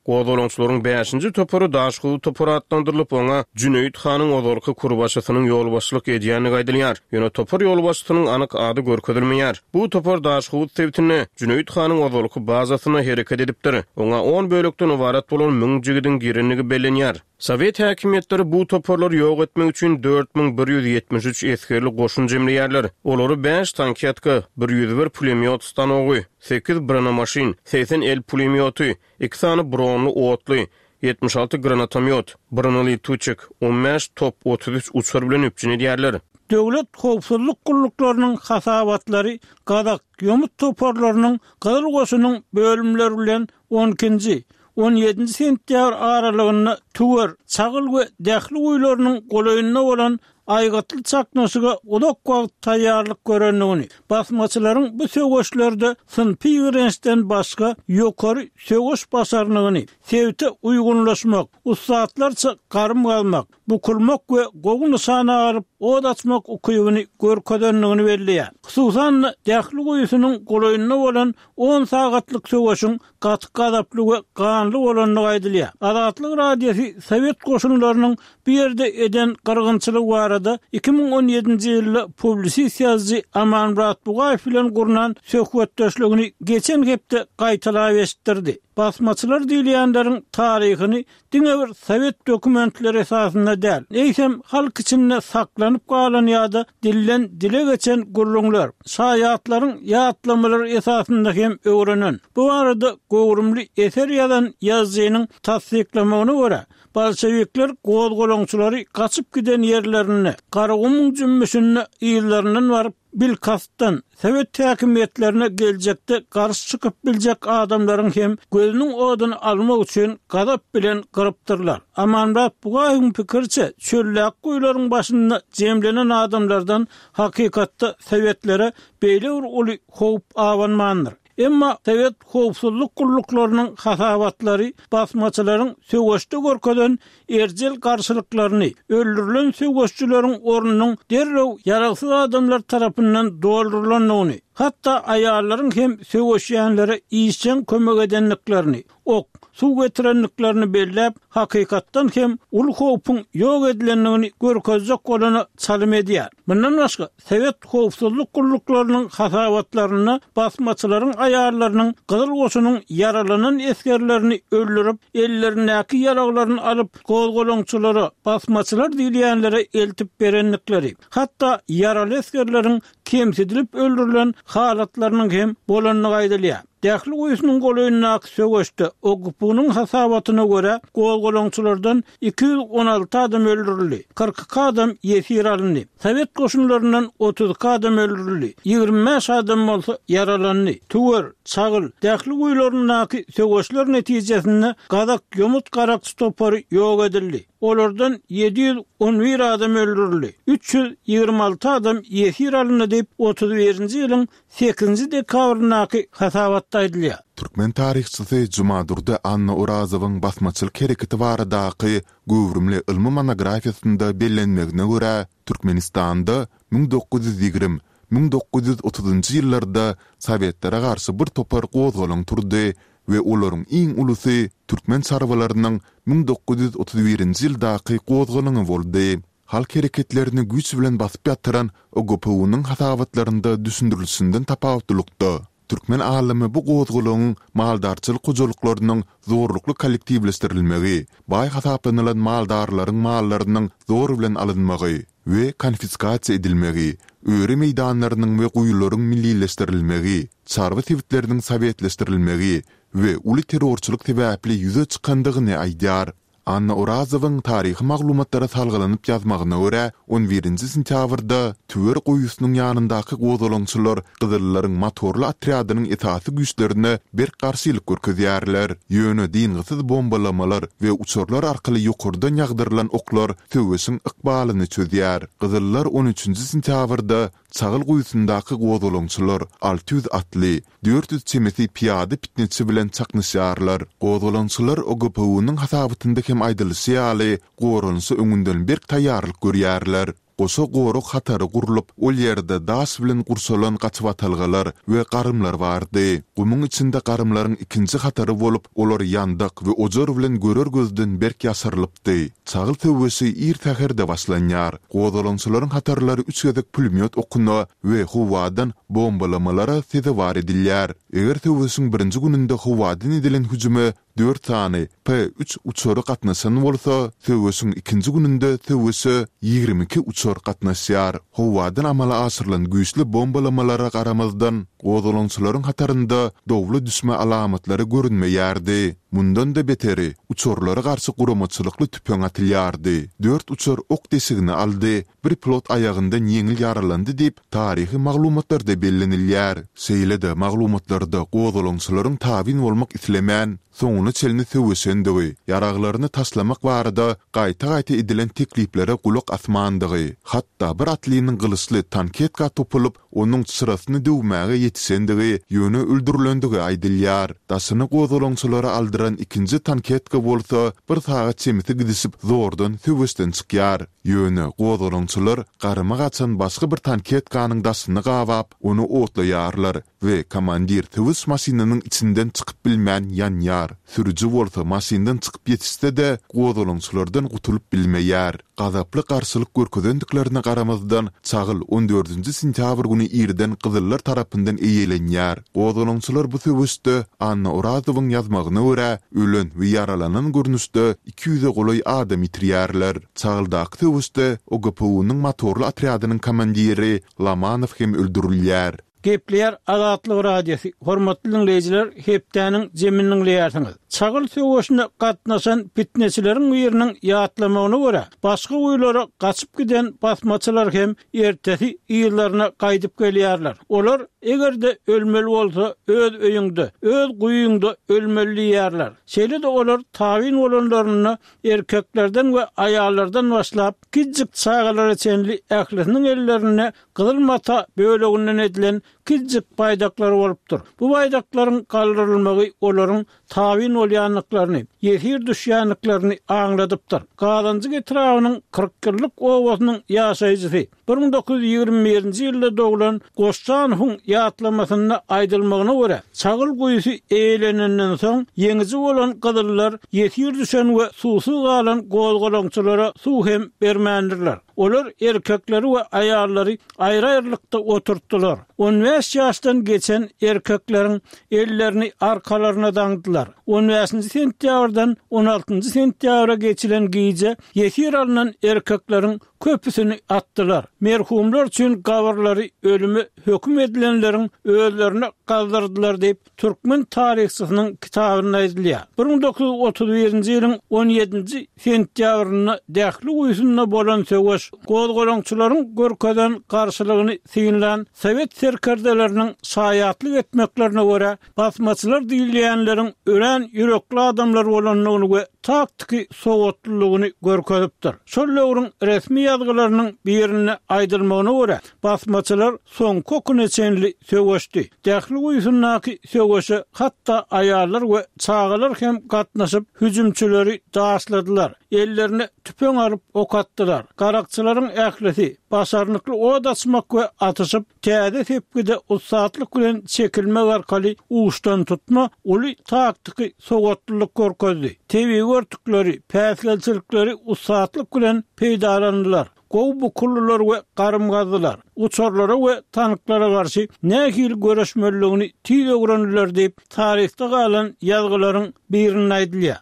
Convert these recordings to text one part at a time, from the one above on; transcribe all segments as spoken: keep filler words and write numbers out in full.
Gozgalaňçylaryň bäşinji topary Daşhowuz topary atlandyrylyp, oňa Jüneýit hanyň ozalky kurbaşysynyň ýolbaşçylyk edýändigi aýdylýar. Ýöne topar ýolbaşçysynyň anyk ady görkezilmeýär. Bu topar Daşhowuz sebitinde Jüneýit hanyň ozalky bazasynda hereket edipdir. Oňa on bölekden ybarat bolan müň jigidiň girendigi bellenýär. Sowet häkimiýetleri bu toparlary ýok etmek üçin dört müň bir ýüz ýetmiş üç esgerli goşun jemleýärler. Olary bäş tanketka, bir ýüz bir pulemýot stanogy, sekiz bronemaşyn, segsen el pulemýoty, iki sany bronly otly, ýetmiş alty granatomýot, bronelituçik, on bäş top, otuz üç uçar bilen üpjün edýärler. Döwlet howpsuzlyk gulluklarynyň hasabatlary Gazak ýomut toparlarynyň Gyzyl goşunyň bölümleri bilen on ikinji, on ýedinji sentýabr aralygynda Tüwer, Çagyl we Dähli guýularynyň golaýynda bolan aýgytly çaknyşyga uzak wagt taýýarlyk görendigini, basmaçylaryň bu söweşlerde synpy ýigrençden başga ýokary söweş başarnygyny, sebite uýgunlaşmak, ussatlarça garym galmak, bukulmak we gowy nyşana alyp od açmak ukybyny görkezendigini belleýär. Hususan-da Dähli guýusynyň golaýynda bolan on sagatlyk söweşiň gaty gazaply we ganly bolandygy aýdylýar. Azatlyk Radiosy Sowet goşunlarynyň bu ýerde eden gyrgynçylygy barada iki müň on ýedinji ýylda publisist ýazyjy Amanmyrat Bugaýew bilen gurnan söhbetdeşligini geçen hepde gaýtalap eşitdirdi. Basmaçylar diýilýänleriň taryhyny diňe bir sowet dokumentleri esasynda däl, eýsem halk içinde saklanyp galan ýa-da dilden dile geçen gürrüňler, şaýatlaryň ýatlamalary esasynda hem öwrenen. Bu barada göwrümli eser ýazan ýazyjynyň tassyklamagyna görä, bolşevikler gozgalaňçylary gaçyp giden ýerlerinde, Garagumuň jümmüşinde yzlaryndan baryp, bilkastdan sowet häkimiýetlerine geljekde garşy çykyp biljek adamlaryň hem gözüniň oduny almak üçin gazap bilen gyrypdyrlar. Amanmyrat Bugaýewiň pikiriçe, çöldäki guýularyň başynda jemlenen adamlardan hakykatda sowetlere beýle bir uly howp abanmandyr. Emma sowet howpsuzlyk gulluklarynyň hasabatlary basmaçylaryň söweşde görkezen erjel garşylyklaryny, öldürilen söweşçileriň ornunyň derrew ýaragsyz adamlar tarapyndan doldurylandygyny, hatda aýallaryň hem söweşýänlere işjeň kömek edendiklerini, ok, suw getirendiklerini belläp, hakykatdan hem uly howpuň ýok edilendigini görkezjek bolana çalym edýär. Mundan başga, sowet howpsuzlyk gulluklarynyň hasabatlarynda basmaçylaryň aýallarynyň Gyzyl goşunyň ýaralanan esgerlerini öldürip, ellerindäki ýaraglaryny alyp, gozgalaňçylara, basmaçylar diýilýänlere eltip berendikleri, hatda ýaraly esgerleriň kemsidilip öldürilen halatlarynyň hem bolandygy aýdylýar. Dähli guýusynyň golaýyndaky söweşde O G P U-nyň hasabatyna görä gozgalaňçylardan iki ýüz on alty adam öldürildi, kyrk iki adam ýesir alyndy. Sowet goşunlaryndan otuz iki adam öldürildi, ýigrimi bäş adam bolsa ýaralandy. Tüwer, Çagyl, Dähli guýularyndaky söweşler netijesinde Gazak ýomut garakçy topary ýok edildi. Olardan ýedi ýüz on bir adam öldürildi, üç ýüz ýigrimi alty adam ýesir alyndy diýip, otuz birinji ýylyň sekizinji dekabryndaky hasabatda aýdylýar. Türkmen taryhçysy Jumadurdy Anna Orazowyň basmaçylyk hereketi baradaky göwrümli ylmy monografiýasynda bellenmegine görä, Türkmenistanda müň dokuz ýüz ýigrimi, müň dokuz ýüz otuzynjy ýyllarda sowetlere garşy bir topar gozgalaň turdy we olaryň iň ulusy türkmen çarwalarynyň müň dokuz ýüz otuz birinji ýyldaky gozgalaňy boldy. Halk hereketlerini güýç bilen basyp ýatyran O G P U-nyň hasabatlarynda düşündirilişinden tapawutlylykda, türkmen alymy bu gozgalaňyň maldarçylyk hojalyklarynyň zorlukly kollektiwleşdirilmegi, baý hasaplanylan maldarlaryň mallarynyň zor bilen alynmagy we konfiskasiýa edilmegi, öri meýdanlarynyň we guýularyň millileşdirilmegi, çarwa sebitleriniň sowetleşdirilmegi we uly terrorçylyk sebäpli ýüze çykandygyny aýdýar. Anna Orazowyň taryhy maglumatlara salgylanyp ýazmagyna görä, on birinji sentýabrda Tüwer guýusynyň ýanyndaky gozgalaňçylar gyzyllaryň motorly otrýadynyň esasy güýçlerine berk garşylyk görkezýärler. Ýöne dyngysyz bombalamalar we uçarlar arkaly ýokardan ýagdyrylan oklar söweşiň ykbalyny çözýär. Gyzyllar on üçünji sentýabrda Çagyl guýusyndaky gozgalaňçylar alty ýüz atly, dört ýüz çemesi pyýada pitneçi bilen çaknyşýarlar. Gozgalaňçylar O G P U-nyň hasabatynda hem aýdylyşy ýaly, goranyşa öňünden berk taýýarlyk görýärler. Goşa gorag hatary gurlup, ol ýerde daş bilen gurşalan gaçybatalgalar we garymlar bardy. Gumuň içinde garymlaryň ikinji hatary bolup, olar ýandak we ojar bilen görer gözden berk ýaşyrylypdy. Çagyl söweşi ir säherde başlanýar. Gozgalaňçylaryň hatarlary üç gezek pulemýot okuna we howadan bombalamalara sezewar edilýär. Eger söweşiň birinji gününde howadan edilen hüjüme dört sany P üç uçary gatnaşan bolsa, söweşiň ikinji gününde söweşe ýigrimi iki uçar gatnaşýar. Howadan amala aşyrylan güýçli bombalamalara garamazdan, gozgalaňçylaryň hatarynda dowla düşme alamatlary görünmeýärdi. Mundan-da beteri, uçarlara garşy guramaçylykly tüpeň atylýardy. Dört uçar ok deşigini aldy, bir pilot aýagyndan ýeňil ýaralandy diýip, taryhy maglumatlarda bellenilýär. Şeýle-de, maglumatlarda gozgalaňçylaryň tabyn bolmak islemän, soňuna çenli söweşendigi, ýaraglaryny taşlamak barada gaýta-gaýta edilen tekliplere gulak asmandygy, hatda bir atlynyň gylyçly tanketka topulyp, onuň çyrasyny döwmäge ýetişendigi, ýöne öldürilendigi aýdylýar. Daşyny gozgalaňçylara aldyran ikinji tanketka bolsa bir sagat çemesi gidişip zordan söweşden çykýar. Ýöne gozgalaňçylar garyma gaçan başga bir tanketkanyň daşyny gabap, ony otlaýarlar we komandir söweş maşynynyň içinden çykyp bilmän ýanýar. Sürüji bolsa maşyndan çykyp ýetişse-de, gozgalaňçylardan gutulyp bilmeýär. Gazaply garşylyk görkezendiklerine garamazdan, Çagyl on dördünji sentýabr güni irden gyzyllar tarapyndan eýelenýär. Gozgalaňçylar bu söweşde, Anna Orazowyň ýazmagyna görä, ölen we ýaralanan görnüşde iki ýüze golaý adam ýitirýärler. Çagyldaky söweşde OGPU-nyň motorly otrýadynyň komandiri Lomanow hem öldürilýär. Gepleýär Azatlyk Radiosy, Hormatly diňleýjiler, hepdäniň jemini diňleýärsiňiz. Çagyl söweşine gatnaşan pitneçileriň biriniň ýatlamagyna görä, başga guýulara gaçyp giden basmaçylar hem ertesi yzlaryna gaýdyp gelýärler. Olar, eger-de ölmeli bolsa, öz öýüňde, öz guýyňda ölmeli diýýärler. Şeýle-de olar tabyn bolanlarynda erkeklerden we aýallardan başlap, kiçijik çagalara çenli ählisiniň ellerinde gyzyl mata böleginden edilen kiçijik baýdaklar bolupdyr. Bu baýdaklaryň galdyrylmagy olaryň tabyn bolýandyklaryny, ýesir düşýändiklerini aňladypdyr. Gazanjyk etrabynyň Kyrkýyllyk obasynyň ýaşaýjysy, bir müň dokuz ýüz ýigrimi birinji ýylda doglan Goşjanowyň ýatlamasynda aýdylmagyna görä, Çagyl guýusy eýelenenden soň, ýeňiji bolan gyzyllar ýesir düşen we suwsuz galan gozgalaňçylara suw hem bermändirler. Olar erkekleri we aýallary aýry-aýrylykda oturtdylar. On bäş ýaşdan geçen erkekleriň ellerini arkalaryna daňdylar. On bäşinji sentýabrdan on altynjy sentýabra geçilen gije ýesir alnan erkekleriň köpüsini atdylar. Merhumlar üçin gabyrlary ölüme höküm edilenleriň özlerine gazdyrdylar diýip, türkmen taryhçysynyň kitabynda aýdylýar. Bir müň dokuz ýüz otuz birinji ýylyň on ýedinji sentýabrynda Dähli guýusynda bolan söweş gozgalaňçylaryň görkezen garşylygyny synlan sowet serkerdeleriniň şaýatlyk etmeklerine görä, basmaçylar diýilýänleriň örän ýürekli adamlar bolandygyny we taktiki sowatlylygyny görkezipdir. Şol döwrüň resmi ýazgylarynyň birinde aýdylmagyna görä, basmaçylar soňky okuna çenli söweşdi. Dähli guýusyndaky söweşe hatda aýallar we çagalar hem gatnaşyp, hüjümçileri daşladylar, ellerine tüpeň alyp ok atdylar. Garakçylaryň ählisi başarnykly ot açmak we atyşyp, täze sepgide ussatlyk bilen çekilmek arkaly uçdantutma uly taktiki sowatlylyk görkezdi. Tebigy örtükleri, päsgelçilikleri ussatlyk bilen peýdalandylar. Gowy bukuldylar we garym gazdylar. Uçarlara we tanklara garşy nähili göreşmelidigini tiz öwrendiler diýip, taryhda galan ýazgylaryň birinde aýdylýar.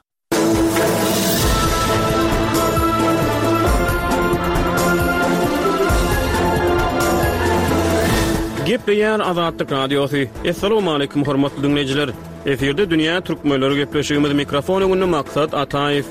Gepleýär Azatlyk Radiosy. Assalamualaikum hormatly dinleýjiler. Efirde Dünýä Türkmenleri gepleşigimiz mikrofon öňünde Maksat Ataýew.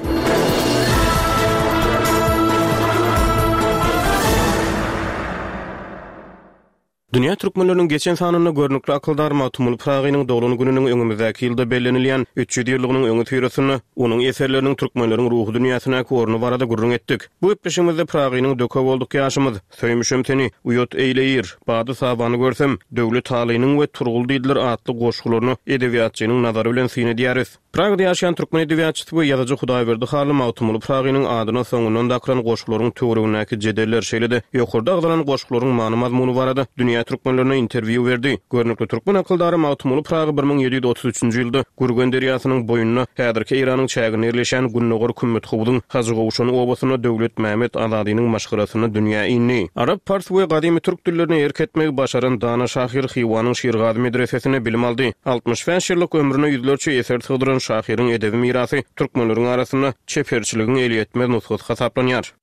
Dünýä türkmenleriniň geçen sanynda görnükli akyldar Magtymguly Pyragynyň doglan gününiň öňümizdäki ýylda bellenilýän üç ýüz ýyllygynyň öňüsyrasynda onuň eserleriniň türkmenleriň ruhy dünýäsindäki orny barada gürrüň etdik. Bu gepleşigimizde Pyragynyň Döke bolduk ýaşymyz, Söýmüşem seni, Uýat eýleýir, Bady-sabany görsem, Döwlet Alynyň we Turgul diýdiler atly goşgularyna edebiýatçynyň nazary bilen syn edýäris. Pragada ýaşaýan türkmen edebiýatçysy we ýazyjy Hudaýberdi Hally Magtymguly Pyragynyň adyna soňundan dakylan goşgularyň töweregindäki jedeller, şeýle-de ýokarda agzalan goşgularyň many-mazmuny barada dünýä türkmenlerine interwýu berdi. Görnükli türkmen akyldary Magtymguly Pyragy bir müň ýedi ýüz otuz üçünji ýylda Gürgen derýasynyň boýunda, häzirki Eýranyň çäginde ýerleşýän Gündogar Kümmethowzuň Hajygowşan obasynda Döwletmämmet Azadynyň maşgalasynda dünýä indi. Arap, pars we gadymy türk dillerine erk etmegi başaran dana şahyr Hywanyň Şirgazy medresesinde bilim aldy. Altmyş bäş ýyllyk ömrüne ýüzlerçe eser sygdyran şahyryň edebi mirasy türkmenleriň arasynda çeperçiligiň elýetmez nusgasy hasaplanýar.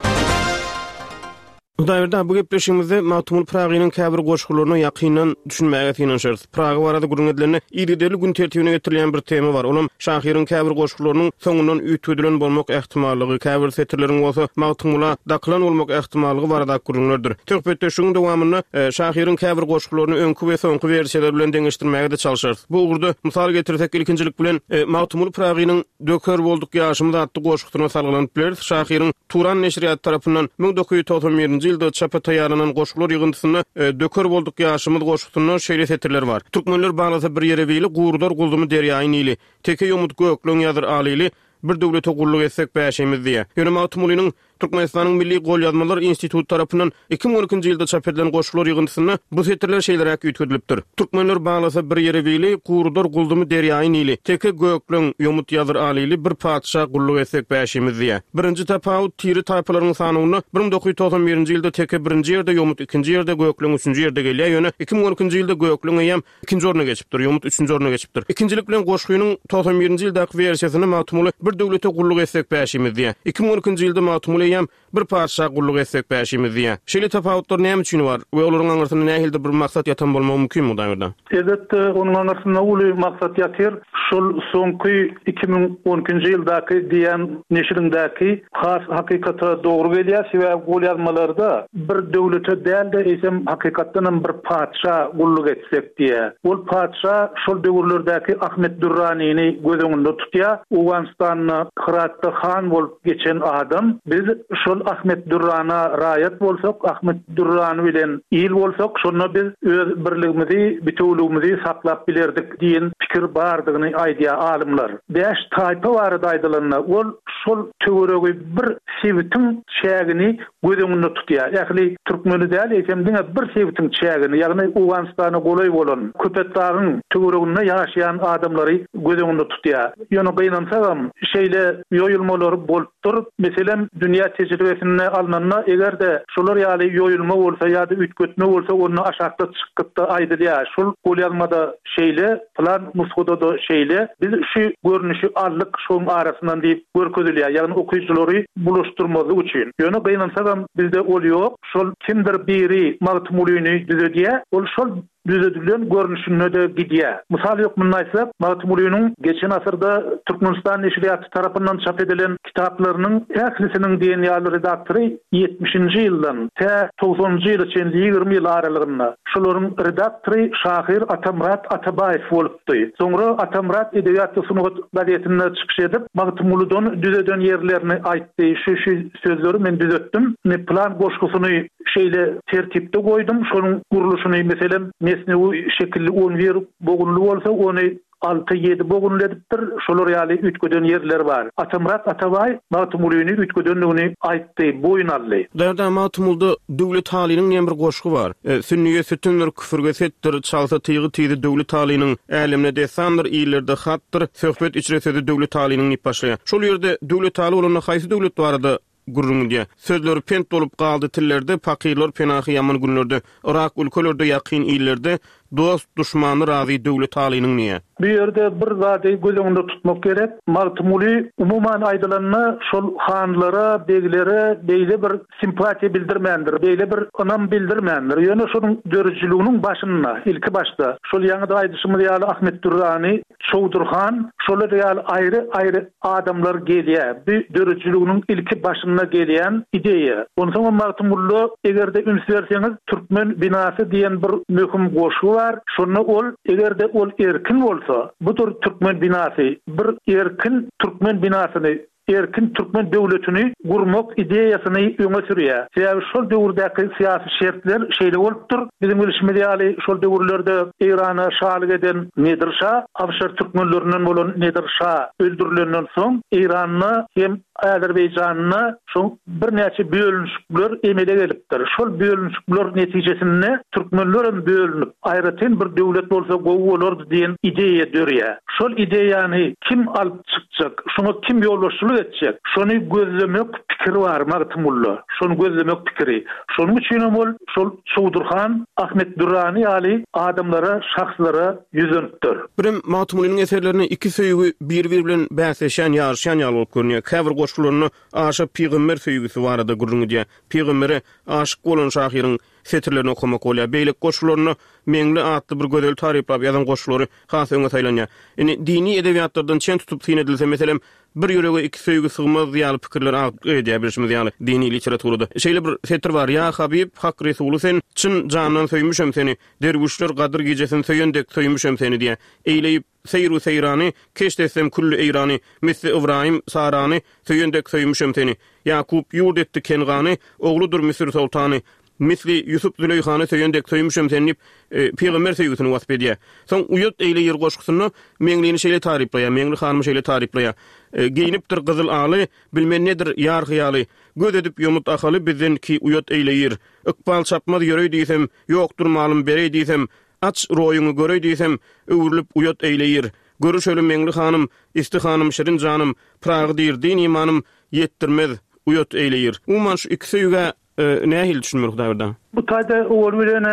Hudaýberdi aga, bu gepleşigimizde Magtymguly Pyragynyň käbir goşgularyna ýakyndan düşünmäge synanyşarys. Pyragy barada gürrüň edilende, yzygiderli gün tertibine getirilýän bir tema bar, olam şahyryň käbir goşgularynyň soňundan üýtgedilen bolmak ähtimallygy, käbir setirleriň bolsa Magtymgula dakylan bolmak ähtimallygy baradaky gürrüňlerdir. Söhbetdeşligiň dowamynda şahyryň käbir goşgularyny öňki we soňky wersiýalar bilen deňeşdirmäge-de çalşarys. Bu ugurda mysal getirsek, ilkinjilik bilen Magtymguly Pyragynyň Döker bolduk ýaşymyz atly goşgusyna salgylanyp bileris. Şahyryň Turan neşirýaty tarapyndan müň dokuz ýüz togsan birinji ýylda çapa taýýarlanan goşgular ýygyndysynda Döker bolduk ýaşymyz goşgusynda şeýle setirler bar. Türkmenler baglasa bir ýere bili, gurudar gulzumy derýaýy Nili. Teke ýomut gökleň ýazyr alyly, bir döwlete gulluk etsek bäşimiz diýýär. Ýöne Magtymgulynyň Türkmenistanyň Milli golýazmalar instituty tarapyndan iki müň on ikinji ýylda çap edilen goşgular ýygyndysynda bu setirler şeýleräk üýtgedilipdir. Türkmenler baglasa bir ýere bili, gurudar gulzumy derýaýy Nili. Teke gökleň, ýomut ýazyr alyly, bir patyşa gulluk etsek bäşimiz diýýär. Birinji tapawut, tiri taýpalaryň sanawynda bir müň dokuz ýüz togsan birinji ýylda teke birinji ýerde, ýomut ikinji ýerde, gökleň üçünji ýerde gelýär, ýöne iki müň on ikinji ýylda gökleň eýýäm ikinji orna geçipdir, ýomut üçünji orna geçipdir. Ikinjilik bilen goşgynyň togsan birinji ýyldaky wersiýasynda Magtymguly bir döwlete gulluk etsek bäşimiz diýýär. Iki müň on ikinji ýylda Magtymguly eýýäm bir patyşa gulluk etsek bäşimiz diýýär. Şeýle tapawutlar näme üçin bar we olaryň aňyrsynda nähilidir bir maksat ýatan bolmagy mümkinmi Hudaýberdi? Elbetde, onuň aňyrsynda uly maksat ýatyr. Şol soňky iki müň on ikinji ýyldaky diýen neşiriňdäki has hakykata dogry gelýär. Sebäbi golýazmalarda bir döwlete däl-de, eýsem hakykatdanam bir patyşa gulluk etsek diýýär. Ol patyşa şol döwürlerdäki Ahmet Dürranini göz öňünde tutýar. Owganystanda Hyratda han bolup geçen adam. Biz şol Ahmet Dürrana raýat bolsak, Ahmet Dürrany bilen il bolsak, şonda biz öz birligimizi, bitewüligimizi saklap bilerdik diýen pikir bardygyny aýdýar alymlar. Bäş taýpa barada aýdylanda, ol şol töweregi bir sebitiň çägini göz öňünde tutýar. Ähli türkmeni däl, eýsem diňe bir sebitiň çägini, ýagny Owganystana golaý bolan Köpetdagyň töwereginde ýaşaýan adamlary göz öňünde tutýar. Ýöne gynansagam, şeýle ýoýulmalar bolupdyr. Meselem, dünýä tejribesinde alnanda, eger-de şolar ýaly ýoýulma bolsa ýa-da üýtgetme bolsa, onda aşakda çykgytda aýdylýar. Şol golýazmada şeýle, plan nusgada-da şeýle. Biz şu görnüşi aldyk şoň arasyndan diýip görkezilýär. Ýagny okyjylary bulaşdyrmazlyk üçin. Ýöne gynansagam bizde ol ýok. Şol kimdir biri Magtymgulyny düzedýär. Ol şol düzedilen görnüşinde-de gidýär. Mysal hökmünde aýtsak, Magtymgulynyň geçen asyrda Türkmenistan neşirýaty tarapyndan çap edilen kitaplarynyň ählisiniň diýen ýaly redaktory ýetmişinji ýyldan tä togsanynjy ýyla çenli ýigrimi ýyl aralygynda şolaryň redaktory şahyr Atamyrat Atabaýew bolupdy. Soňra Atamyrat Edebiýat we sungat gazetinde çykyş edip, Magtymgulydan düzeden ýerlerini aýtdy. Şu-şu sözleri men düzetdim. Indi plan goşgusyny şeýle tertipde goýdum. Şonuň gurluşyny, meselem, mesnewi şekilli on bir bogunly bolsa, ony alty-ýedi bogunly edipdir. Şolar ýaly üýtgeden ýerleri bar. Atamyrat Atabaý Magtymgulyny üýtgedendigini aýtdy, boýun aldy. Därde Magtymgulyda Döwlet Halynyň diýen bir goşgy bar. Sünniýe sütündir, küfürge setdir, çalsa tygy tizi Döwlet Halynyň, älemde dessandyr, illerde hatdyr, söhbet içre sözi Döwlet Halynyň diýip başlaýar. Şol ýerde Döwlet Haly bolanda haýsy döwlet barada gürrüň edýär? Sözleri pent bolup galdy tillerde, pakyrlar penahy ýaman günlerde, Yrak ülkelerde, ýakyn illerde, Dost duşmany razy Döwletalynyň diýýär. Bu ýerde bir zady göz öňünde tutmak gerek. Magtymguly umuman aýdylanda şol hanlara, beglere beýle bir simpatiýa bildirmändir, beýle bir ynam bildirmändir. Ýöne şonuň döredijiliginiň başynda, ilki başda şol ýaňy-da aýdyşymyz ýaly Ahmet Dürrany, Çowdur han, şolar ýaly aýry-aýry adamlar gelýär. Bu döredijiliginiň ilki başynda gelýän ideýa. Onsoňam Magtymgulyda eger-de üns berseňiz, Türkmen binasy diýen bir möhüm goşgy bar. Şonda ol eger-de ol erkin bolsa, budur türkmen binasy, bir erkin türkmen binasyny, erkin türkmen döwletini gurmak ideýasyny öňe sürýär. Sebäbi şol döwürdäki syýasy şertler şeýle bolupdyr. Biziň bilşimiz ýaly şol döwürlerde Eýrana şalyk eden Nedir şa, Awşar türkmenlerinden bolan Nedir şa öldürilenden soň Eýranda hem Azerbaýjanda şol birnäçe bölünişikler emele gelipdir. Şol bölünişikler netijesinde türkmenler hem bölünip, aýratyn bir döwlet bolsa gowy bolardy diýen ideýa dörýär. Şol ideýany kim alyp çykjak, şoňa kim ýolbaşçylyk etjek, şony gözlemek pikiri bar Magtymgulyda. Şony gözlemek pikiri. Şonuň üçin hem ol şol Çowdur han, Ahmet Dürrany ýaly adamlara, şahslara ýüzlenipdir. Birem Magtymgulynyň eserlerinde iki söýgi bir-biri bilen bäsleşýän, ýaryşýan ýaly bolup görünýär. Käbir goşgularynda aşa pygamber söýgüsi barada gürrüň edýär. Pygambere aşyk bolan şahyryň setirlerini okamak bolýar. Beýleki goşgularynda Meňli atly bir gözel taryplap ýazan goşgulary has öňe saýlanýar. Indi dini edebiýatlardan çen tutup syn edilse, meselem, bir ýürege iki söýgi sygmaz ýaly pikirler agdyklyk edýär bilşimiz ýaly dini literaturada. Şeýle bir setir bar: Ýa Habib, Hak Resuly sen, çyn jandan söýmüşem seni, derwüşler gadyr gijesini söýen dek söýmüşem seni diýär. Eýleýip seýru seýrany, keşt etsem külli Eýrany, misli Ybraýym Sarany söýen dek söýmüşem seni. Ýakup ýurt etdi Kengany, ogludyr Müsür soltany, misli Ýusup Züleýhany söýen dek söýmüşem seni diýip, e, pygamber söýgüsini wasp edýär. Soň Uýat eýleýir goşgusynda Meňlini şeýle taryplaýar, Meňli hanymy şeýle taryplaýar. E, geýnipdir gyzyl aly, bilmen nedir ýar hyýaly, göz edip ýomut ahaly bizden ki uýat eýleýir. Ykbal çapmaz ýöreý diýsem, ýokdur malym bereý diýsem, aç roýuňy göreý diýsem, öwrülip uýat eýleýir. Görüşeli Meňli hanym, isti hanym şirin janym, Pragy diýr din imanym, ýetdirmez uýat eýleýir. Umuman şu iki söýgä e, nähili düşünmeli Hudaýberdi? Bu taýda owal bilen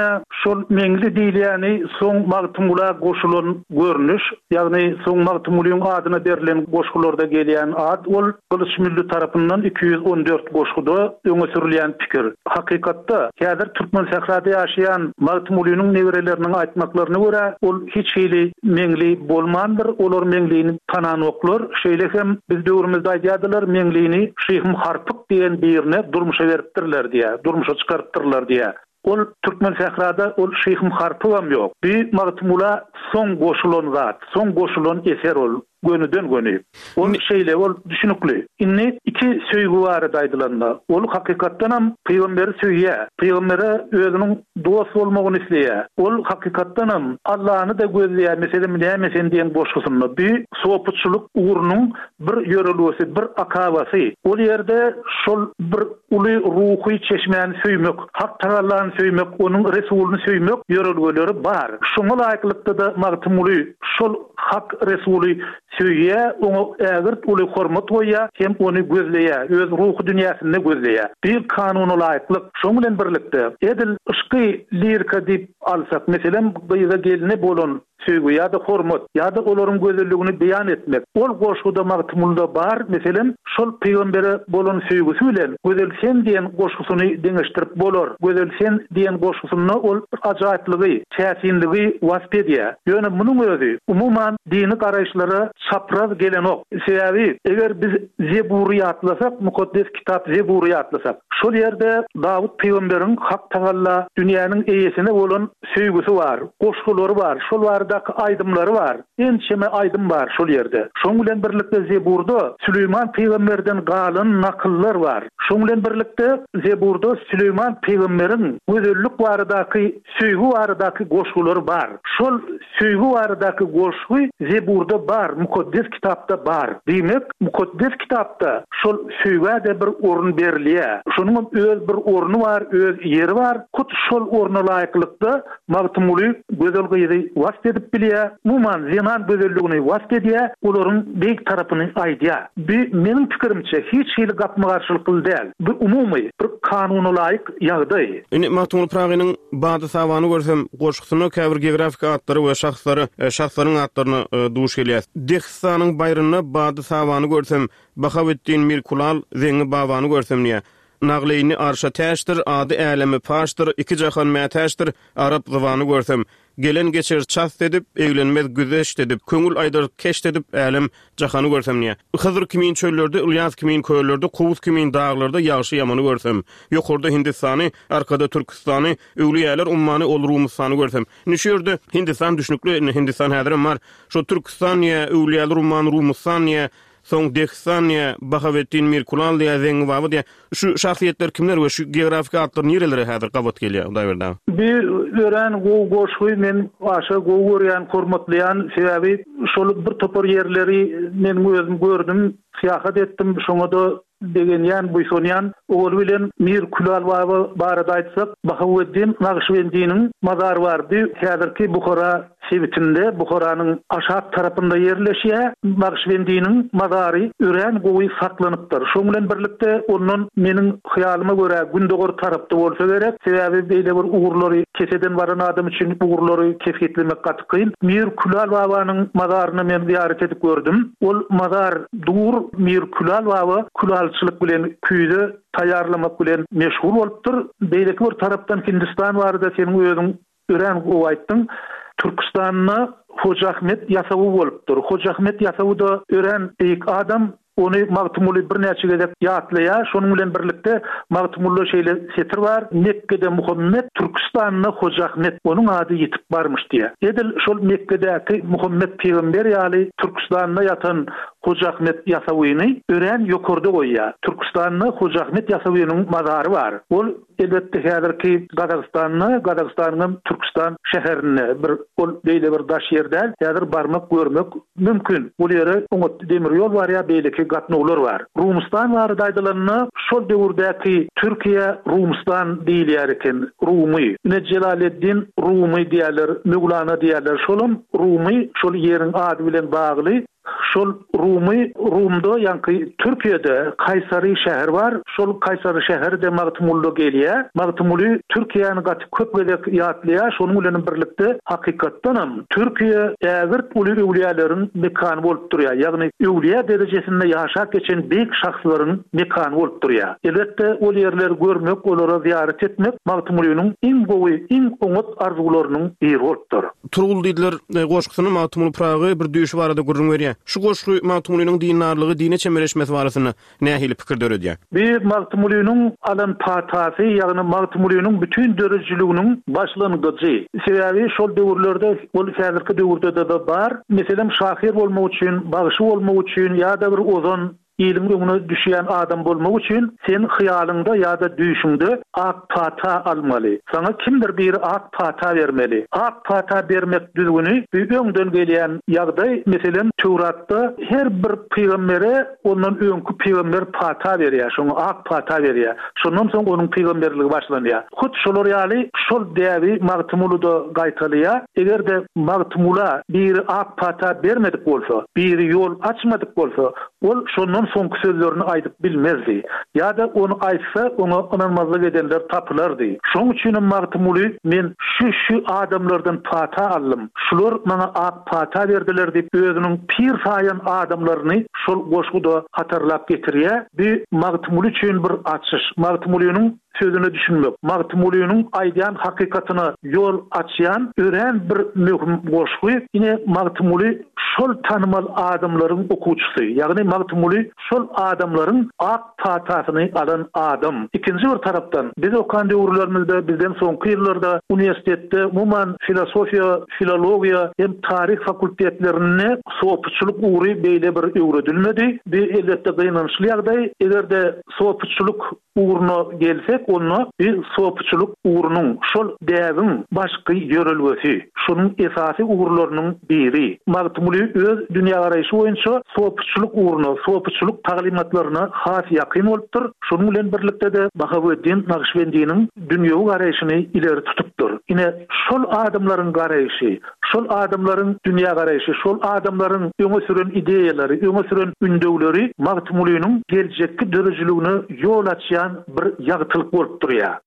şol Meňli diýilýäni soň Magtymgula goşulan görnüş, ýagny soň Magtymgulyň adyna berlen goşgularda gelýän ad ol Gylyç Mülli tarapyndan iki ýüz on dört goşguda öňe sürülýän pikir. Hakykatda häzir Türkmen sährada ýaşaýan Magtymgulynyň nebereleriniň aýtmaklaryna görä ol hiç hili Meňli bolmandyr, olar Meňlini tananoklar. Şeýle hem biz döwrümizde aýdýardylar, Meňlini Şyhym Harpyk diýen birine durmuşa beripdirler diýä, durmuşa çykarypdyrlar diýä. Ol Türkmen sährada ol Şyhym Harpygam ýok. Bir Magtymgula soň goşulan zat, soň goşulan eser ol gönüden göni. Ol şeýle ol düşünikli. Indi iki söýgi barada aýdylanda, ol hakykatdanam pygamberi söýýär. Pygambere özüniň dost bolmagyny isleýär. Ol hakykatdanam Allah'ny da gözleýär. Meselem, näme sen diýen goşgusynda bir sopuçylyk ugrunyň bir ýörelgesi, bir akabasy. Ol ýerde şol bir uly ruhy çeşmäni söýmek, Hak Tagallany söýmek, onuň Resulyny söýmek ýörelgeleri bar. Şoňa laýyklykda da Magtymguly şol Hak Resuly söýýär, oňa ägirt uly hormat goýýar, hem ony gözleýär, öz ruhy dünýäsinde gözleýär. Bir kanuna laýyklyk, şoň bilen birlikde edil yşky lirika diýip alsak, meselem, gyza geline bolan söýgi ýa-da hormat ýa-da olaryň gözelligini beýan etmek. Ol goşguda Magtymgulyda bar, meselem, şol pygambere bolan söýgüsi bilen Gözel sen diýen goşgusyny deňeşdirip bolar. Gözel sen diýen goşgusynda ol ajaýyplygy, täsinligi wasp edýär. Ýöne munuň özi umuman dini garaýyşlara çapraz gelenok. Sebäbi eger biz Zebury ýatlasak, mukaddes kitap Zebury ýatlasak, şol ýerde Dawut pygamberiň Hak Tagalla dünýäniň eýesine bolan söýgüsi bar, goşgulary bar, şol baradaky aýdymlary bar. Ençeme aýdym bar şol ýerde. Şoň bilen birlikde Zeburda Süleýman pygamberden galan nakyllar bar. Şoň bilen birlikde Zeburda Süleýman pygamberiň gözellik baradaky, söýgi baradaky goşgulary bar. Şol söýgi baradaky goşgy Zeburda bar, mukaddes kitapda bar. Diýmek, mukaddes kitapda şol söýgä de bir orun berilýär. Şonuň öz bir orny bar, öz ýeri bar. Hut şol orna laýyklykda Magtymguly gözel gyzy wasp edip edip bilýär. Umuman, zenan gözelligini wasp edýär, olaryň beýik tarapyny aýdýar. Bu meniň pikirimçe hiç hili gapma-garşylykly däl. Bu umumy bir kanunalaýyk ýagdaý. Indi Magtymguly Pyragynyň Bady-sabany görsem goşgusynda käbir geografik atlary we şahslary, şahslaryň atlaryna duş gelýär. Dehistanyň baýrynda Bady-sabany görsem, Bahaweddin Mirkulal, Zeňňi babany görsem diýýär. Nagleýni arşa täçdir, ady äleme paşdyr, iki jahan mätäçdir, arap zybany görsem. Gelen geçer çast edip, eglenmez güzeşt edip, köňül aýdar keşt edip, älem jahany görsem diýýär. Hyzr kimin çöllerde, Ylýas kimin köllerde, Kowus kimin daglarda ýagşy-ýamany görsem. Ýokarda Hindistany, arkada Türküstany, öwlüýäler ummany ol Rumustany görsem. Indi şu ýerde Hindistan düşnükli, indi Hindistan häzirem bar. Şo Türküstan diýýär, öwlüýäler ummany Rumustan diýýär, soň Dehistan diýýär, Bahaweddin Mirkulal diýýär, Zeňňi baba diýýär. Şu şahsyýetler kimler we şu geografik atlar nirelere häzir gabat gelýär, Hudaýberdi aga? Bu örän gowy goşgy, men aşa gowy görýän, hormatlaýan, sebäbi şol bir topar ýerleri meniň özüm gördüm, syýahat etdim, şoňa-da begenýän, buýsanýan. Owaly bilen Mir Külal baba barada aýtsak, Bahaweddin Nagyşbendiniň mazary bar. Bu häzirki Buhara sebitinde, Buharanyň aşak tarapynda ýerleşýär. Nagyşbendiniň mazary örän gowy saklanypdyr. Şoň bilen birlikde ondan meniň hyýalyma görä gündogar tarapda bolsa gerek. Sebäbi beýle bir ugurlary keseden baran adam üçin ugurlary kesgitlemek gaty kyn. Mir Külal babanyň mazaryny men zyýarat edip gördüm. Ol mazar dur, Mir Külal baba külalçylyk bilen küýze taýýarlamak bilen meşgul bolupdyr. Beýleki bir tarapdan Hindistan barada seniň özüň örän gowy aýtdyň. Türküstanda Hoja Ahmet Ýasawy bolupdyr. Hoja Ahmet Ýasawy-da örän beýik adam. Ony Magtymguly birnäçe gezek ýatlaýar. Şonuň bilen birlikde Magtymgulyda şeýle setir bar, Mekgede Muhammet, Türküstanda Hoja Ahmet, onuň ady ýitip barmyş diýýär. Edil şol Mekgedäki Muhammet pygamber ýaly Türküstanda ýatan Hoja Ahmet Ýasawyny örän ýokarda goýýar. Türküstanda Hoja Ahmet Ýasawynyň mazary bar. Ol elbetde häzirki Gazagystanda, Gazagystanyň Türküstan şäherinde bir ol beýle bir daş ýer däl. Häzir barmak, görmek mümkin. Bu ýere oňat demir ýol bar ýa beýleki gatnawlar bar. Rumustan barada aýdylanda, şol döwürdäki Türkiýe Rumustan diýilýär eken. Rumy. Ine Jelaleddin Rumy diýerler, Möwlana diýerler. Şolam Rumy şol ýeriň ady bilen bagly. Şol Rumy, Rumda, ýaňky Türkiýede Kaýsary şäheri bar. Şol Kaýsary şäheri-de Magtymgulyda gelýär. Magtymguly Türkiýäni gaty köp gezek ýatlaýar. Şonuň bilen birlikde hakykatdanam Türkiýe ägirt uly öwlüýäleriň mekany bolup durýar. Ýagny öwlüýä derejesinde ýaşap geçen beýik şahslaryň mekany bolup durýar. Elbetde ol ýerleri görmek, olara zyýarat etmek Magtymgulynyň iň gowy, iň oňat arzuwlarynyň biri bolupdyr. Turgul diýdiler goşgusyny Magtymguly Pyragy bir düýşi barada gürrüň berýär. Şu goşgy Magtymgulynyň dindarlygy, dine çemeleşmesi barasynda nähili pikir döredýär? Bu Magtymgulynyň alan patasy, ýagny Magtymgulynyň bütün döredijiliginiň başlangyjy. Sebäbi şol döwürlerde, ol häzirki döwürde-de bar. Meselem, şahyr bolmak üçin, bagşy bolmak üçin ýa-da bir ozan iliň öňüne düşýän adam bolmak üçin sen hyýalyňda ýa-da düýşüňde ak pata almaly. Saňa kimdir biri ak pata bermeli. Ak pata bermek düzgüni bu öňden gelýän ýagdaý. Meselem, Töwratda her bir pygambere ondan öňki pygamber pata berýär, şoňa ak pata berýär. Şondan soň onuň pygamberligi başlanýar. Hut şolar ýaly şol däbi Magtymguly-da gaýtalaýar. Eger-de Magtymgula biri ak pata bermedik bolsa, biri ýol açmadyk bolsa, ol şondan soňky sözlerini aýdyp bilmezdi. Ýa-da ony aýtsa, oňa ynanmazlyk edenler tapylardy. Şoň üçinem Magtymguly men şu-şu adamlardan pata aldym, şular maňa ak pata berdiler diýip, özüniň pir saýan adamlaryny şol goşguda hatarlap getirýär. Bu Magtymguly üçin bir açyş. Magtymgulynyň sözüne düşünmek, Magtymgulynyň aýdýan hakykatyna ýol açýan örän bir möhüm goşgy. Ine Magtymguly şol tanymal adamlaryň okuwçysy, ýagny Magtymguly şol adamlaryň ak patasyny alan adam. Ikinji bir tarapdan, biz okan döwürlerimizde, bizden soňky ýyllarda uniwersitetde umuman filosofiýa, filologiýa hem taryh fakultetlerinde sopuçylyk ugry beýle bir öwredilmedi. Bu elbetde gynançly ýagdaý. Eger-de sopuçylyk ugruna gelsek, Seredäýsek, onda bi sopuçylyk ugrunyň, şol däbiň başky ýörelgesi, şonuň esasy ugurlarynyň biri. Magtymguly öz dünýägaraýşy boýunça sopuçylyk ugruna, sopuçylyk taglymatlaryna has ýakyn bolupdyr. Şonuň bilen birlikde-de Bahaweddin Nagyşbendiniň dünýewi garaýşyny ileri tutupdyr. Ine, şol adamlaryň garaýşy, şol adamlaryň dünýägaraýşy, şol adamlaryň öňe süren ideýalary, öňe süren ündewleri Magtymgulynyň geljekki döredijiligine ýol açýan bir ýagtylyk bolup durýar.